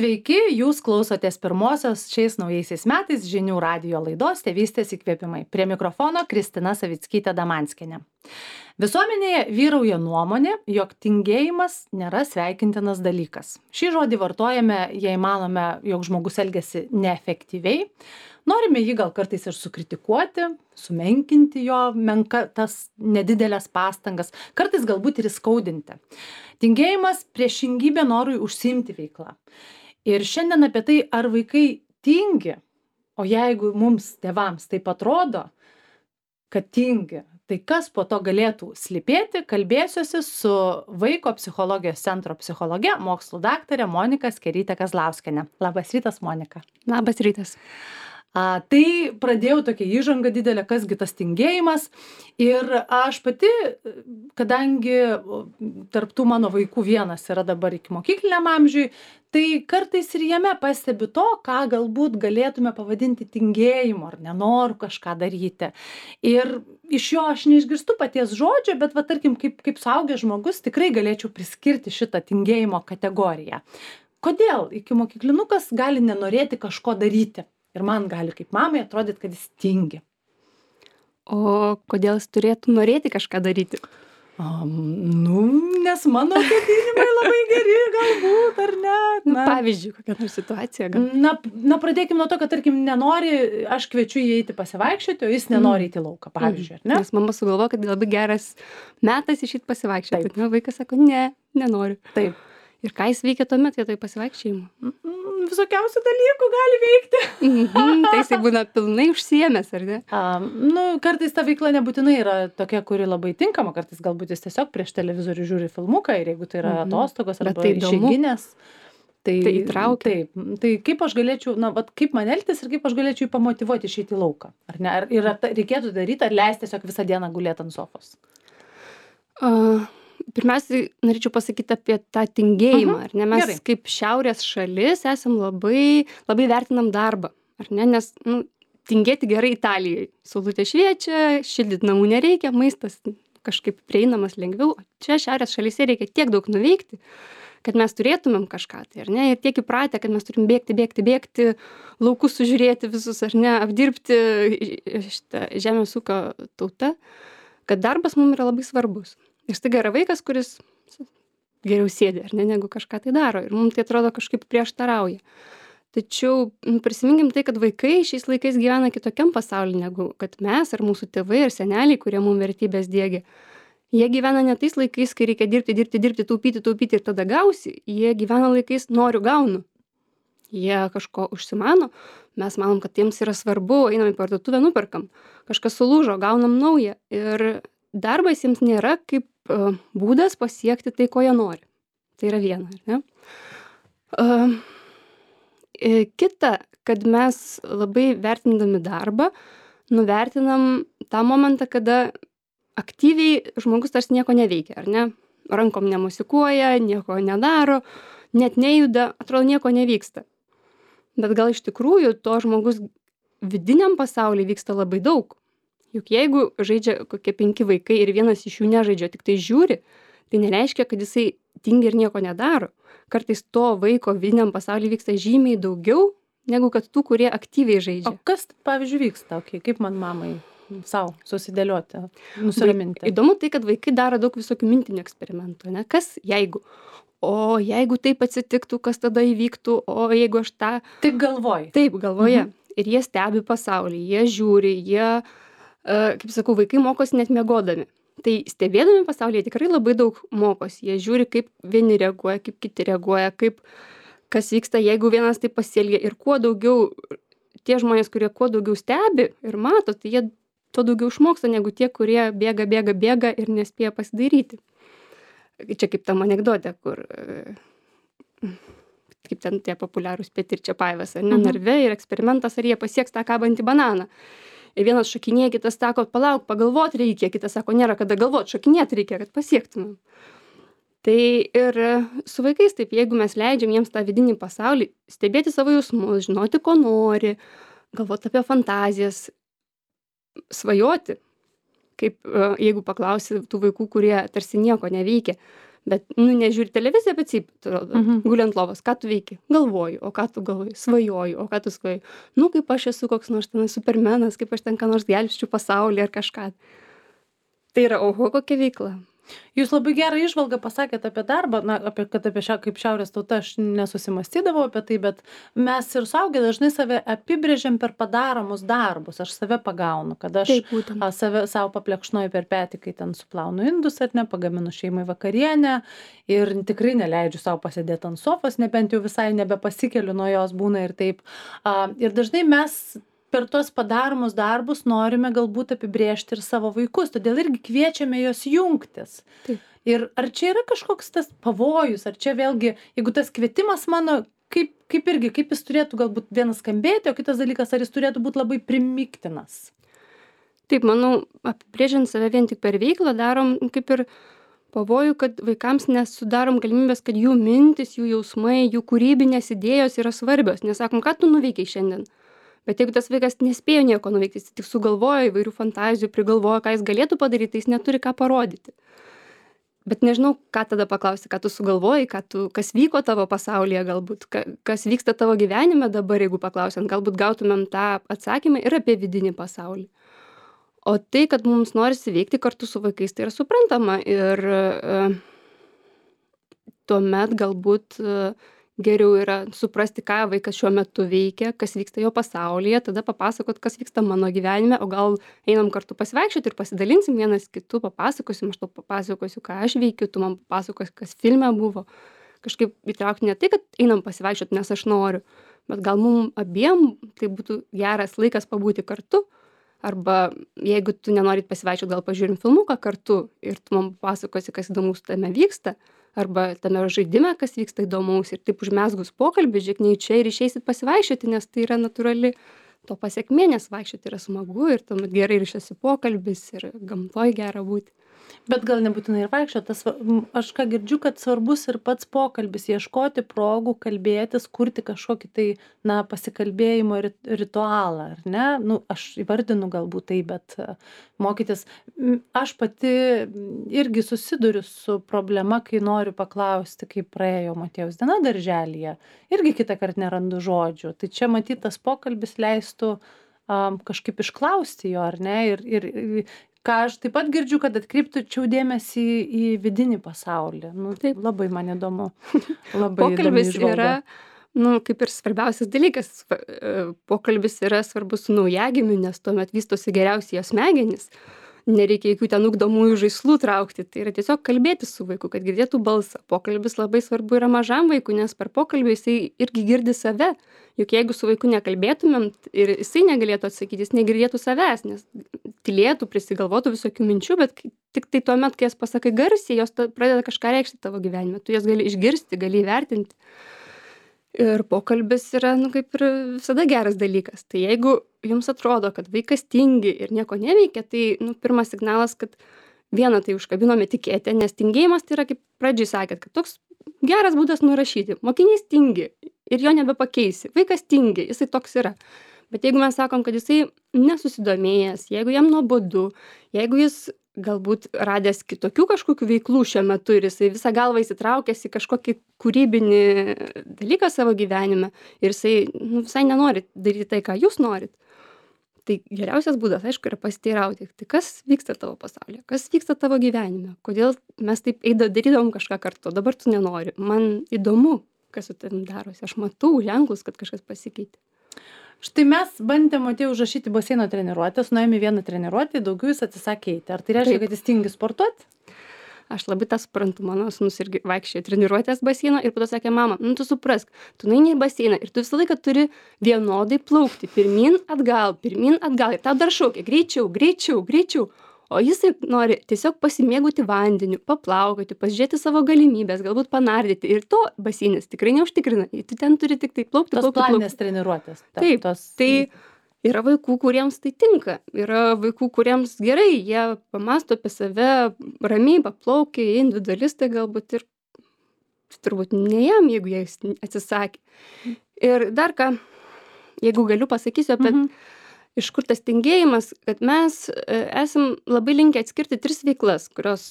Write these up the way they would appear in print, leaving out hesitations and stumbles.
Sveiki, jūs klausotės pirmosios šiais naujaisiais metais žinių radijo laidos Tėvystės įkvėpimai. Prie mikrofono Kristina Savickytė Damanskienė. Visuomenėje vyrauja nuomonė, jog tingėjimas nėra sveikintinas dalykas. Šį žodį vartojame, jei manome, jog žmogus elgiasi neefektyviai. Norime jį gal kartais ir sukritikuoti, sumenkinti jo tas nedidelės pastangas, kartais galbūt ir įskaudinti. Tingėjimas priešingybė norui užsiimti veiklą. Ir šiandien apie tai, ar vaikai tingi, o jeigu mums tėvams taip atrodo, kad tingi, tai kas po to galėtų slypėti, kalbėsiuosi su Vaiko psichologijos centro psichologe, mokslų daktare Monika Skerytė Kazlauskienė. Labas rytas, Monika. Labas rytas. Tai pradėjau tokią įžangą didelę, kasgi tas tingėjimas. Ir aš pati, kadangi tarp tų mano vaikų vienas yra dabar ikimokykliniam amžiui, tai kartais ir jame pastebiu to, ką galbūt galėtume pavadinti tingėjimu ar nenoru kažką daryti. Ir iš jo aš neišgirstu paties žodžio, bet va, tarkim, kaip suaugęs žmogus tikrai galėčiau priskirti šitą tingėjimo kategoriją. Kodėl ikimokyklinukas gali nenorėti kažko daryti? Ir man gali kaip mamai atrodyti, kad jis tingi. O kodėl jis turėtų norėti kažką daryti? Nes mano ketinimai labai geri, galbūt, ar ne? Pavyzdžiui, kokia nors situacija. Na, pradėkim nuo to, kad, tarkim, nenori, aš kviečiu jį eiti pasivaikščioti, o jis nenori eiti į lauką, pavyzdžiui, ar ne? Nes mama sugalvoja, kad labai geras metas išeiti pasivaikščioti. Vaikas sako, nenoriu. Taip. Ir ką jis veikia tuomet vietoj pasivaikščiojimo? Visokiausių dalykų gali veikti. Tai jisai būna pilnai užsiėmęs, ar ne? Kartais ta veikla nebūtinai yra tokia, kuri labai tinkama, kartais galbūt jis tiesiog prieš televizorių žiūri filmuką ir jeigu tai yra atostogos arba išeiginės. Tai įtraukia. Taip, tai kaip aš galėčiau, kaip man elgtis ir kaip aš galėčiau jį pamotyvuoti išeiti į lauką? Ar ne? Ar reikėtų daryti, ar leisti tiesiog visą dieną gulėti ant sofos? Pirmiausiai norėčiau pasakyti apie tą tingėjimą, ar ne? Mes kaip šiaurės šalis esam labai vertinam darbą, ar ne? Nes tingėti gerai Italijai. Saulutė šviečia, šildyti namų nereikia, maistas kažkaip prieinamas lengviau. Čia šiaurės šalyse reikia tiek daug nuveikti, kad mes turėtumėm kažką, tai ar ne? Ir tiek įpratę, kad mes turim bėgti, laukus sužiūrėti visus, ar ne? Apdirbti šitą žemės ūkio tautą, kad darbas mums yra labai svarbus. Ir staiga yra vaikas, kuris geriau sėdi, ar ne, negu kažką tai daro. Ir mums tai atrodo kažkaip prieštarauja. Tačiau prisiminkim tai, kad vaikai šiais laikais gyvena kitokiam pasaulyje, negu kad mes ar mūsų tėvai ar seneliai, kurie mums vertybės diegia. Jie gyvena ne tais laikais, kai reikia dirbti, taupyti ir tada gausi. Jie gyvena laikais noriu, gaunu. Jie kažko užsimano, mes manom, kad jiems yra svarbu, einam į parduotuvę, nuperkam. Kažkas sulūžo, gaunam naują. Ir darbas jiems nėra kaip būdas pasiekti tai, ko jie nori. Tai yra viena, ar ne? Kita, kad mes labai vertindami darbą, nuvertinam tą momentą, kada aktyviai žmogus tarsi nieko neveikia, ar ne? Rankom nemusikuoja, nieko nedaro, net nejuda, atrodo nieko nevyksta. Bet gal iš tikrųjų to žmogus vidiniam pasaulyje vyksta labai daug. Juk jeigu žaidžia kokie 5 vaikai ir vienas iš jų nežaidžia, tik tai žiūri, tai nereiškia, kad jisai tingi ir nieko nedaro. Kartais to vaiko vidiniam pasaulyje vyksta žymiai daugiau, negu kad tų, kurie aktyviai žaidžia. O kas, pavyzdžiui, vyksta? Kaip man mamai savo susidėlioti, nusiraminti? Įdomu tai, kad vaikai daro daug visokių mintinių eksperimentų, ne? Kas jeigu? O jeigu taip atsitiktų, kas tada įvyktų? O jeigu aš tą... Taip galvoji. Taip galvoje. Ir jie stebi pasaulį, jie žiūri, kaip sakau, vaikai mokosi net miegodami. Tai stebėdami pasaulyje tikrai labai daug mokosi. Jie žiūri, kaip vieni reaguoja, kaip kiti reaguoja, kas vyksta, jeigu vienas taip pasielgia. Ir kuo daugiau, tie žmonės, kurie kuo daugiau stebi ir mato, tai jie tuo daugiau išmoksta, negu tie, kurie bėga ir nespėja pasidaryti. Čia kaip tam anekdote, kur kaip ten tie populiarūs Petir Čapajevas, ar ne, narve ir eksperimentas, ar jie pasieks tą kabantį bananą. Ir vienas šokinėja, kitas sako, palauk, pagalvot reikia, kitas sako, nėra kada galvot, šokinėt reikia, kad pasiektumėm. Tai ir su vaikais taip, jeigu mes leidžiam jiems tą vidinį pasaulį, stebėti savo jausmus, žinoti, ko nori, galvoti apie fantazijas, svajoti, kaip jeigu paklausi tų vaikų, kurie tarsi nieko neveikia, Bet, nežiūri televiziją, bet guli ant lovos. Ką tu veiki? Galvoju. O ką tu galvoji? Svajoju. O ką tu svajoji? Kaip aš esu koks nors ten supermenas, kaip aš ten ką nors gelbsčiu pasaulį ar kažką. Tai yra, oho, kokia veikla. Jūs labai gerą įžvalgą pasakėt apie darbą, kad apie kaip šiaurės tauta aš nesusimastydavau apie tai, bet mes ir suaugę dažnai save apibrėžiam per padaromus darbus. Aš save pagaunu, kad aš savo paplekšnoju per petį, kai ten suplaunu indus ar ne, pagaminu šeimai vakarienę ir tikrai neleidžiu savo pasėdėti ant sofos, nebent jau visai nebepasikeliu nuo jos būna ir taip. Ir dažnai mes per tuos padaromus darbus norime galbūt apibrėžti ir savo vaikus, todėl irgi kviečiame juos jungtis. Taip. Ir ar čia yra kažkoks tas pavojus, ar čia vėlgi, jeigu tas kvietimas mano, kaip jis turėtų galbūt vienas skambėti, o kitas dalykas, ar jis turėtų būti labai primiktinas? Taip, manau, apibrėžiant save vien tik per veiklą darom kaip ir pavojų, kad vaikams nesudarom galimybės, kad jų mintis, jų jausmai, jų kūrybinės idėjos yra svarbios. Nesakom, ką tu nuveikiai šiandien. Bet jeigu tas vaikas nespėjo nieko nuveikti, jis tik sugalvojo įvairių fantazijų, prigalvojo, ką jis galėtų padaryti, tai jis neturi ką parodyti. Bet nežinau, ką tada paklausti, ką tu sugalvojai, kas vyko tavo pasaulyje galbūt, kas vyksta tavo gyvenime dabar, jeigu paklausiant, galbūt gautumėm tą atsakymą ir apie vidinį pasaulį. O tai, kad mums norisi veikti kartu su vaikais, tai yra suprantama ir tuomet galbūt geriau yra suprasti, ką vaikas šiuo metu veikia, kas vyksta jo pasaulyje, tada papasakot, kas vyksta mano gyvenime, o gal einam kartu pasivaikščioti ir pasidalinsim vienas kitu, papasakosim, aš tau papasakosiu, ką aš veikiu, tu man papasakosi, kas filme buvo. Kažkaip įtraukti ne tai, kad einam pasivaikščioti, nes aš noriu, bet gal mums abiem tai būtų geras laikas pabūti kartu, arba jeigu tu nenorit pasivaikščioti, gal pažiūrim filmuką kartu ir tu man papasakosi, kas įdomus tame vyksta, arba tame žaidime, kas vyksta įdomaus ir taip užmesgus pokalbį, žiūrėk, čia ir išeisit pasivaikščioti, nes tai yra natūrali to pasekmė, nes vaikščioti yra smagu ir tuomet gerai ryšiasi pokalbis ir gamtoj gera būti. Bet gal nebūtinai ir vaikščioti, aš ką girdžiu, kad svarbus ir pats pokalbis, ieškoti progų, kalbėtis, kurti kažkokį tai, pasikalbėjimo ritualą, ar ne? Aš įvardinu galbūt tai, bet mokytis. Aš pati irgi susiduriu su problema, kai noriu paklausti, kaip praėjo Motiejaus diena darželyje. Irgi kitą kartą nerandu žodžių. Tai čia matyt, tas pokalbis leistų kažkaip išklausti jo, ar ne? Ir ką aš taip pat girdžiu, kad atkreipčiau dėmesį į vidinį pasaulį. Taip, labai man įdomu. Pokalbis yra, kaip ir svarbiausias dalykas. Pokalbis yra svarbus su naujagimiu, nes tuomet vystosi geriausiai jo smegenys. Nereikia jokių ten ugdomųjų žaislų traukti. Tai yra tiesiog kalbėti su vaiku, kad girdėtų balsą. Pokalbis labai svarbu yra mažam vaikui, nes per pokalbį jisai irgi girdi save. Juk jeigu su vaiku nekalbėtumėm ir jisai negalėtų atsakyti, jis negirdėtų savęs, nes tylėtų, prisigalvotų visokių minčių, bet tik tai tuomet, kai jas pasakai garsiai, jos pradeda kažką reikšti tavo gyvenime. Tu jas gali išgirsti, gali įvertinti. Ir pokalbis yra, kaip ir visada geras dalykas. Tai jeigu jums atrodo, kad vaikas tingi ir nieko neveikia, tai, pirmas signalas, kad vieną tai užkabinome etiketę, nes tingėjimas tai yra, kaip pradžiai sakėt, kad toks geras būdas nurašyti. Mokinys tingi ir jo nebepakeisi. Vaikas tingi, jisai toks yra. Bet jeigu mes sakom, kad jisai nesusidomėjęs, jeigu jam nuobodu, jeigu jis galbūt radęs kitokių kažkokių veiklų šiuo metu ir jisai visą galvą įsitraukęs į kažkokį kūrybinį dalyką savo gyvenime ir jisai visai nenori daryti tai, ką jūs norit, tai geriausias būdas, aišku, yra pasiteirauti, tai kas vyksta tavo pasaulyje, kas vyksta tavo gyvenime, kodėl mes taip darydavom kažką kartu, dabar tu nenori, man įdomu, kas su tavim darosi, aš matau ženklus, kad kažkas pasikeitė. Štai mes bandėm Motiejų užrašyti baseino treniruotės, nuėjome vieną treniruotę, daugiau jis atsisakė eiti. Ar tai reiškia, kad jis tingi sportuoti? Aš labai tą suprantu, mano sūnus irgi vaikščiojo treniruotės baseino ir po to sakė, mama, tu suprask, tu nueini į baseiną ir tu visą laiką turi vienodai plaukti, pirmin, atgal, ir tau dar šaukia, greičiau. O jisai nori tiesiog pasimėgauti vandeniu, paplaukoti, pasižiūrėti savo galimybės, galbūt panardyti. Ir to baseinas tikrai neužtikrina. Tu ten turi tik tai plaukti. Tos planinės treniruotės. Taip, tai yra vaikų, kuriems tai tinka. Yra vaikų, kuriems gerai, jie pamąsto apie save, ramiai paplaukia, individualistai galbūt ir turbūt ne jam, jeigu jie atsisakė. Ir dar ką, jeigu galiu pasakysiu apie iš kur tas tingėjimas, kad mes esam labai linkę atskirti 3 veiklas, kurios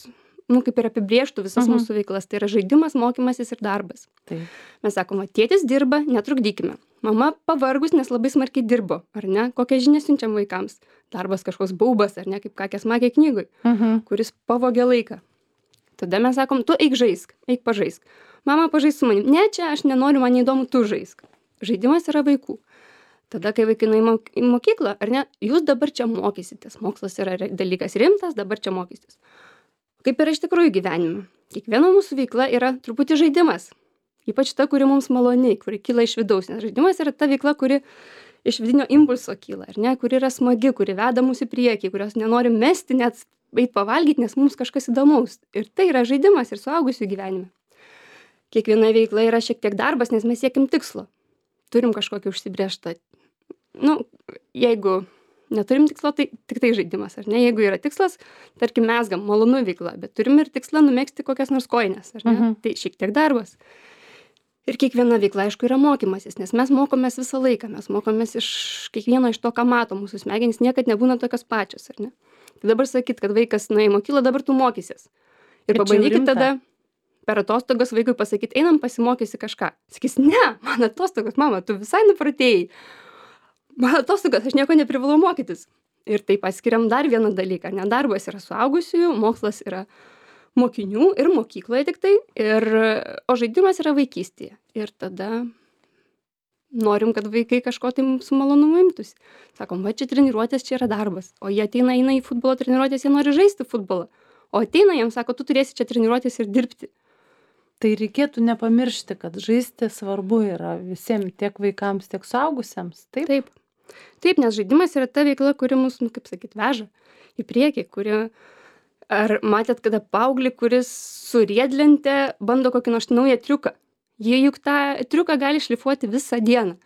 kaip ir apibrėžtų visas mūsų veiklas. Tai yra žaidimas, mokymasis ir darbas. Taip. Mes sakom, tėtis dirba, netrukdykime. Mama pavargus, nes labai smarkiai dirbo, ar ne? Kokią žinią siunčiam vaikams? Darbas kažkoks baubas, ar ne, kaip kakės magė knygoj, kuris pavogė laiką. Tada mes sakom, tu eik žaisk, eik pažaisk. Mama pažais su manim. Ne, čia aš nenoriu, man neįdomu, tu žaisk. Žaidimas yra vaikų. Tada, kai vaikai nueina į mokyklą, ar ne, jūs dabar čia mokysitės. Mokslas yra dalykas rimtas, dabar čia mokysitės. Kaip yra iš tikrųjų gyvenime. Kiekviena mūsų veikla yra truputį žaidimas. Ypač ta, kuri mums maloni, kuri kyla iš vidaus. Nes žaidimas yra ta veikla, kuri iš vidinio impulso kyla, ar ne, kuri yra smagi, kuri veda mus į priekį, kurios nenorim mesti, net eit pavalgyti, nes mums kažkas įdomaus. Ir tai yra žaidimas ir suaugusių gyvenime. Kiekviena veikla yra šiek tiek darbas, nes mes siekim tikslo. Turim kažkokį užsibrėžtą. Jeigu neturim tikslo, tai tik tai žaidimas, ar ne? Jeigu yra tikslas, tarkim, mezgam malonų veiklą, bet turim ir tikslą numegzti kokias nors kojines, ar ne? Tai šiek tiek darbas. Ir kiekviena veikla, aišku, yra mokymasis, nes mes mokomės visą laiką, mes mokomės iš kiekvieno iš to, ką mato mūsų smegenys, niekad nebūna tokios pačios, ar ne? Tai dabar sakyt, kad vaikas nuėjo į mokyklą, dabar tu mokysies. Ir pabandykit tada per atostogas vaikui pasakyti, einam pasimokysi kažką. Sakys, ne, man atostogos, mama, tu visai nupratėjai. Man atostogas, aš nieko neprivalau mokytis. Ir taip atskiriam dar vieną dalyką. Ne, darbas yra suaugusiųjų, mokslas yra mokinių ir mokykloje tik tai, o žaidimas yra vaikystėje. Ir tada norim, kad vaikai kažko tai su malonumu imtųsi. Sakom, va čia treniruotės, čia yra darbas. O jie eina į futbolo treniruotės, jie nori žaisti futbolą. O ateina jiems, sako, tu turėsi čia treniruotės ir dirbti. Tai reikėtų nepamiršti, kad žaisti svarbu yra visiems, tiek vaikams, tiek suaugusiems. Taip? Taip, nes žaidimas yra ta veikla, kuri mus, kaip sakyt, veža į priekį, Ar matėt kada paauglį, kuris su riedlente bando kokį nors naują triuką? Jie juk tą triuką gali šlifuoti visą dieną.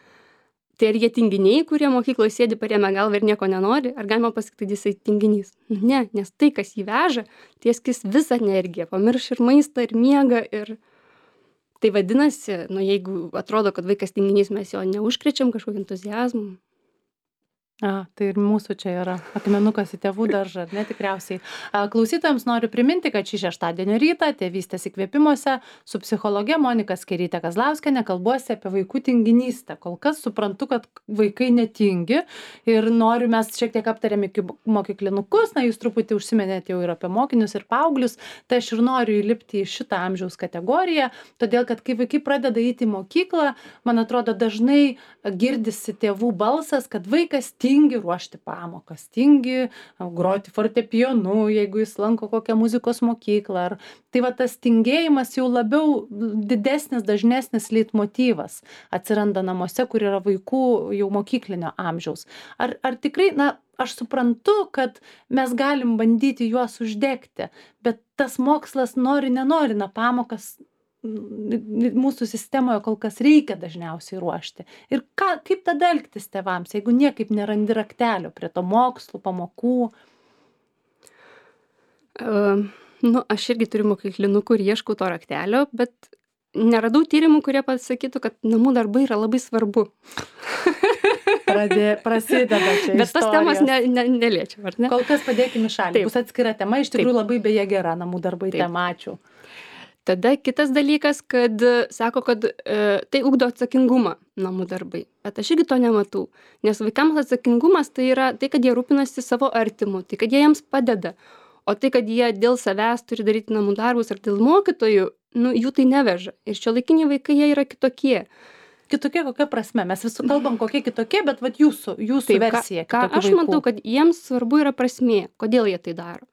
Tai ar jie tinginiai, kurie mokykloje sėdi parėmę galvą ir nieko nenori, ar galima pasakyti, jisai tinginys? Ne, nes tai, kas jį veža, tai skis visą energiją, pamirš ir maistą, ir miegą. Ir tai vadinasi, jeigu atrodo, kad vaikas tinginys, mes jo neužkrečiam kažkokį entuziazmą. Tai ir mūsų čia yra akmenukas į tėvų daržą, ar ne, tikriausiai. Klausytojams noriu priminti, kad šį šeštadienio rytą Tėvystės įkvėpimuose su psichologe Monika Skėryte Kazlauskiene kalbuosi apie vaikų tinginystę. Kol kas suprantu, kad vaikai netingi ir noriu, mes šiek tiek aptarėm iki mokyklinukus, jūs truputį užsiminėte jau ir apie mokinius ir paauglius, tai aš ir noriu įlipti į šitą amžiaus kategoriją, todėl kad kai vaikai pradeda eiti į mokyklą, man atrodo, dažnai girdisi tėvų balsas, kad vaikas tingi ruošti pamokas, tingi groti fortepijonu, jeigu jis lanko kokią muzikos mokyklą. Tai va tas tingėjimas jau labiau didesnis, dažnesnis leitmotyvas atsiranda namuose, kur yra vaikų jau mokyklinio amžiaus. Ar tikrai, aš suprantu, kad mes galim bandyti juos uždegti, bet tas mokslas nenori, pamokas mūsų sistemoje kol kas reikia dažniausiai ruošti. Ir kaip tada elgtis tėvams, jeigu niekaip nerandi raktelio prie to mokslų, pamokų? Aš irgi turiu mokyklinukų ir ieškau to raktelio, bet neradau tyrimų, kurie pasakytų, kad namų darbai yra labai svarbu. Prasideda čia bet tos temos neliečiam, ar ne? Kol kas padėkime šalį. Bus atskira tema, iš tikrųjų labai beje gera namų darbai tema, ačiū. Tada kitas dalykas, kad sako, kad tai ugdo atsakingumą namų darbai. Bet aš irgi to nematau. Nes vaikams atsakingumas tai yra tai, kad jie rūpinasi savo artimu, tai, kad jie jiems padeda. O tai, kad jie dėl savęs turi daryti namų darbus ar dėl mokytojų, jų tai neveža. Ir šiuolaikiniai vaikai, jie yra kitokie. Kitokie kokia prasme? Mes visų kalbam kokie kitokie, bet jūsų versija. Ką aš matau, kad jiems svarbu yra prasmė, kodėl jie tai daro.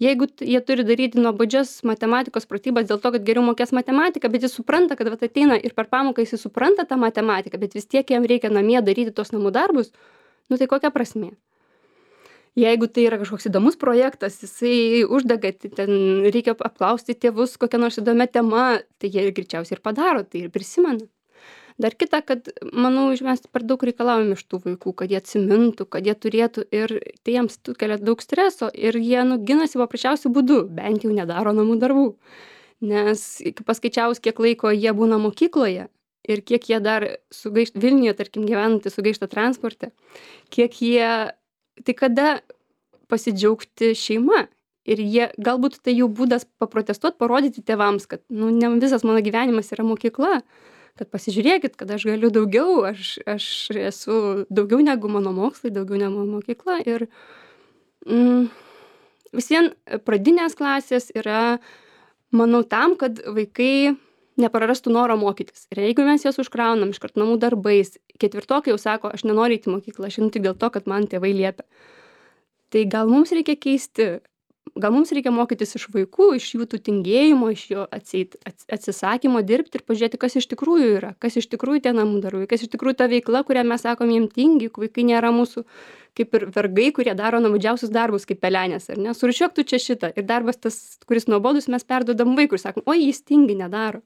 Jeigu jie turi daryti nuobodžias matematikos pratybas dėl to, kad geriau mokės matematiką, bet jis supranta, kad ateina ir per pamoką jis supranta tą matematiką, bet vis tiek jam reikia namie daryti tos namų darbus, tai kokia prasmė? Jeigu tai yra kažkoks įdomus projektas, jisai uždega, ten reikia apklausti tėvus kokią nors įdomią temą, tai jie greičiausiai ir padaro, tai ir prisimena. Dar kita, kad, manau, mes per daug reikalaujam iš tų vaikų, kad jie atsimintų, kad jie turėtų ir tai jiems kelia daug streso ir jie ginasi paprasčiausiu būdu, bent jau nedaro namų darbų. Nes paskaičiavus, kiek laiko jie būna mokykloje ir kiek jie dar sugaišta Vilniuje, tarkim, gyvenantys sugaišta transporte, kiek jie, tai kada pasidžiaugti šeima ir jie, galbūt tai jų būdas paprotestuot, parodyti tėvams, kad, nu, ne visas mano gyvenimas yra mokykla, kad pasižiūrėkit, kad aš galiu daugiau, aš esu daugiau negu mano mokslai, daugiau negu mano mokykla. Ir vis vien pradinės klasės yra, manau, tam, kad vaikai neprarastų noro mokytis. Ir jeigu mes juos užkraunam iškart namų darbais, ketvirtokai jau sako, aš nenoriu eiti į mokyklą, aš einu tik dėl to, kad man tėvai liepia. Tai gal mums reikia keisti, gal mums reikia mokytis iš vaikų, iš jų tų tingėjimo, iš jo atsisakymo dirbti ir pažiūrėti, kas iš tikrųjų yra, kas iš tikrųjų tie namų darbai, kas iš tikrųjų ta veikla, kurią mes sakom jiem tingi, juk vaikai nėra mūsų kaip ir vergai, kurie daro nuobodžiausius darbus kaip pelenės, ar ne? Surūšiuok tu čia šitą. Ir darbas tas, kuris nuobodus, mes perduodam vaikui ir sakom, oi, jis tingi, nedaro.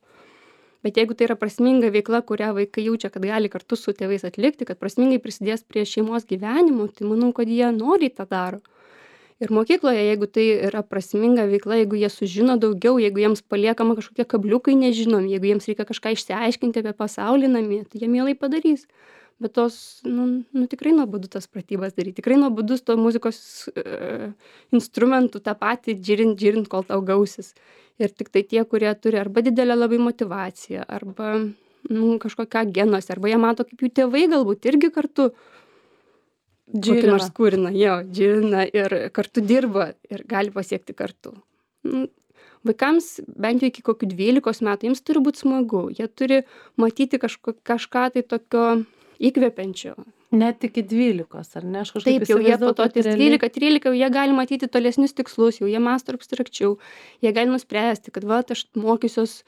Bet jeigu tai yra prasminga veikla, kurią vaikai jaučia, kad gali kartu su tėvais atlikti, kad prasmingai prisidės prie šeimos gyvenimo, tai manau, kad jie noriai tą daro. Ir mokykloje, jeigu tai yra prasminga veikla, jeigu jie sužino daugiau, jeigu jiems paliekama kažkokie kabliukai nežinomi, jeigu jiems reikia kažką išsiaiškinti apie pasaulį namie, tai jie mielai padarys. Bet tos, tikrai nuobodu tas pratybas daryti, tikrai nuobodus to muzikos instrumentų tą patį džirint, kol tau gausis. Ir tik tai tie, kurie turi arba didelę labai motyvaciją, arba kažkokią genuose, arba jie mato, kaip jų tėvai galbūt irgi kartu kokį nors kūrina, džirina ir kartu dirba ir gali pasiekti kartu. Vaikams bent jau iki kokių 12 metų jiems turi būti smagu, jie turi matyti kažką tai tokio įkvepiančio. Net iki 12, ar ne? Taip, jau jie po to 12-13, jau jie gali matyti tolesnius tikslus, jau jie mąsto abstrakčiau, jie gali nuspręsti, kad aš mokysiuos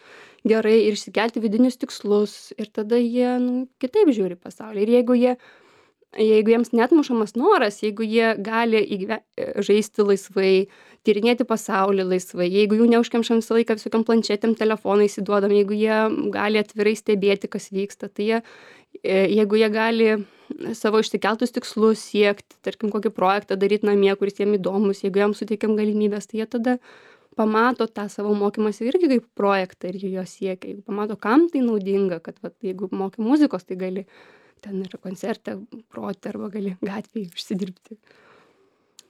gerai ir išsikelti vidinius tikslus ir tada jie kitaip žiūri pasaulį. Ir jeigu jiems netmušamas noras, jeigu jie gali žaisti laisvai, tyrinėti pasaulį laisvai, jeigu jų neužkemšam visą laiką visokiam planšetėm, telefonais įduodam, jeigu jie gali atvirai stebėti, kas vyksta, tai jeigu jie gali savo išsikeltus tikslus siekti, tarkim, kokį projektą daryti namie, kuris jiem įdomus, jeigu jam suteikiam galimybės, tai jie tada pamato tą savo mokymąsi irgi kaip projektą ir jo siekia. Jeigu pamato, kam tai naudinga, kad jeigu moki muzikos, tai gali ten ir koncerte groti arba gali gatvėje užsidirbti.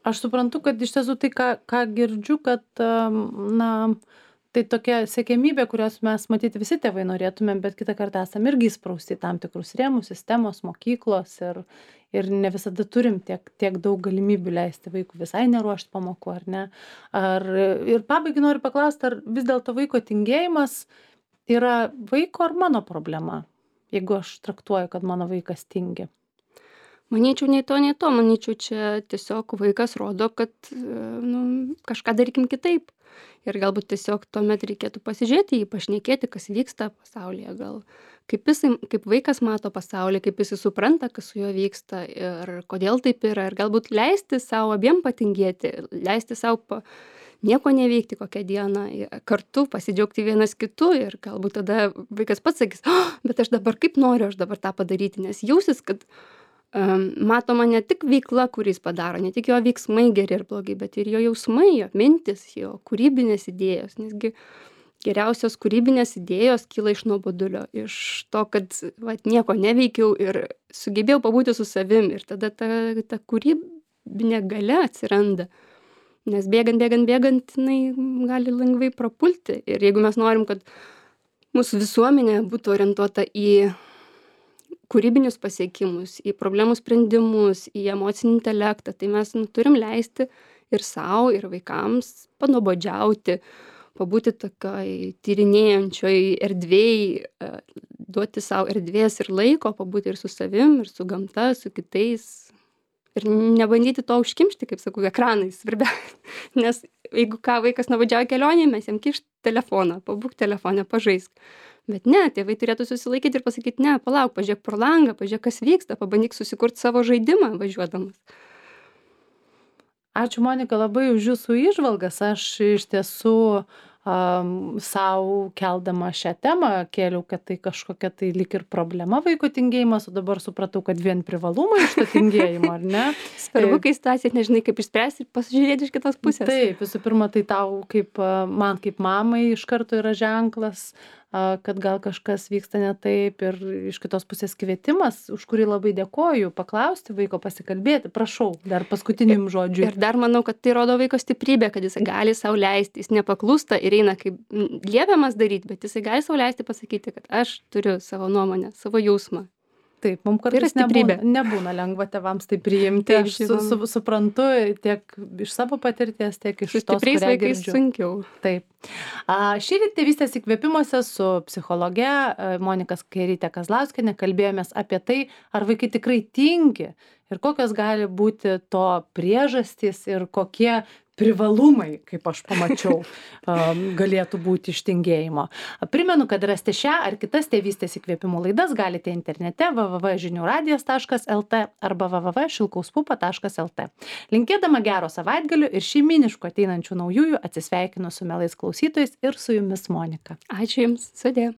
Aš suprantu, kad iš tiesų tai, ką girdžiu, kad tai tokia siekiamybė, kurios mes matyti visi tėvai norėtumėm, bet kitą kartą esam irgi įsprausti tam tikrus rėmus, sistemos, mokyklos ir ne visada turim tiek daug galimybių leisti vaikų visai neruošti pamokų, ar ne? Ir pabaigai noriu paklausti, ar vis dėlto vaiko tingėjimas yra vaiko ar mano problema, jeigu aš traktuoju, kad mano vaikas tingi? Manyčiau, nei to. Manyčiau, čia tiesiog vaikas rodo, kad kažką darykim kitaip. Ir galbūt tiesiog tuomet reikėtų pasižiūrėti, pašnekėti, kas vyksta pasaulyje. Gal kaip vaikas mato pasaulį, kaip jis supranta, kas su juo vyksta ir kodėl taip yra. Ir galbūt leisti savo abiem patingėti, leisti savo nieko neveikti kokią dieną, kartu pasidžiaugti vienas kitu ir galbūt tada vaikas pats sakys, bet aš dabar kaip noriu aš dabar tą padaryti, nes jausis, kad matoma ne tik veikla, kuris padaro, ne tik jo veiksmai geri ir blogi, bet ir jo jausmai, jo mintis, jo kūrybinės idėjos, nesgi geriausios kūrybinės idėjos kyla iš nuobodulio, iš to, kad nieko neveikiau ir sugebėjau pabūti su savim ir tada ta kūrybinė galia atsiranda, nes bėgant, jinai gali lengvai prapulti ir jeigu mes norim, kad mūsų visuomenė būtų orientuota į kūrybinius pasiekimus, į problemų sprendimus, į emocinį intelektą, tai mes turim leisti ir savo, ir vaikams panuobodžiauti, pabūti tokioj tyrinėjančioj erdvėj, duoti savo erdvės ir laiko, pabūti ir su savim, ir su gamta, su kitais. Ir nebandyti to užkimšti, kaip sakau, ekranais, svarbiausia. Nes jeigu vaikas nuobodžiauja kelionėje, mes jam kišt telefoną, pabūk telefoną, pažaisk. Bet ne, tėvai turėtų susilaikyti ir pasakyti, ne, palauk, pažiūrėk pro langą, pažiūrėk, kas vyksta, pabandyk susikurti savo žaidimą važiuodamas. Ačiū, Monika, labai už jūsų įžvalgas. Aš iš tiesų sau keldama šią temą kėliau, kad tai kažkokia tai lyg ir problema vaiko tingėjimas, o dabar supratau, kad vien privalumai iš to tingėjimo, ar ne? Svarbu, kai situacija nežinai, kaip išspręsti ir pasižiūrėti iš kitos pusės. Taip, visų pirma, tai tau man kaip mamai iš karto yra ženklas, kad gal kažkas vyksta ne taip ir iš kitos pusės kvietimas, už kurį labai dėkoju, paklausti vaiko, pasikalbėti. Prašau, dar paskutiniam žodžiui. Ir dar manau, kad tai rodo vaiko stiprybę, kad jis gali sau leisti, jis nepaklūsta ir eina kaip liepiamas daryti, bet jis gali sau leisti pasakyti, kad aš turiu savo nuomonę, savo jausmą. Taip, mums kartais nebūna lengva tėvams tai priimti. Taip, aš suprantu tiek iš savo patirties, tiek iš tos, stipriais vaikais sunkiau. Taip. Šįryt tėvystės įkvėpimuose su psichologe Monika Skėrytė Kazlauskienė kalbėjomės apie tai, ar vaikai tikrai tingi ir kokios gali būti to priežastys ir kokie privalumai, kaip aš pamačiau, galėtų būti iš tingėjimo. Primenu, kad rasti šią ar kitas tėvystės įkvėpimų laidas galite internete www.žiniuradijas.lt arba www.šilkauspupa.lt. Linkėdama gero savaitgalio ir šeiminiškų ateinančių naujųjų atsisveikinu su mielais klausytojais ir su jumis Monika. Ačiū Jums, sudie.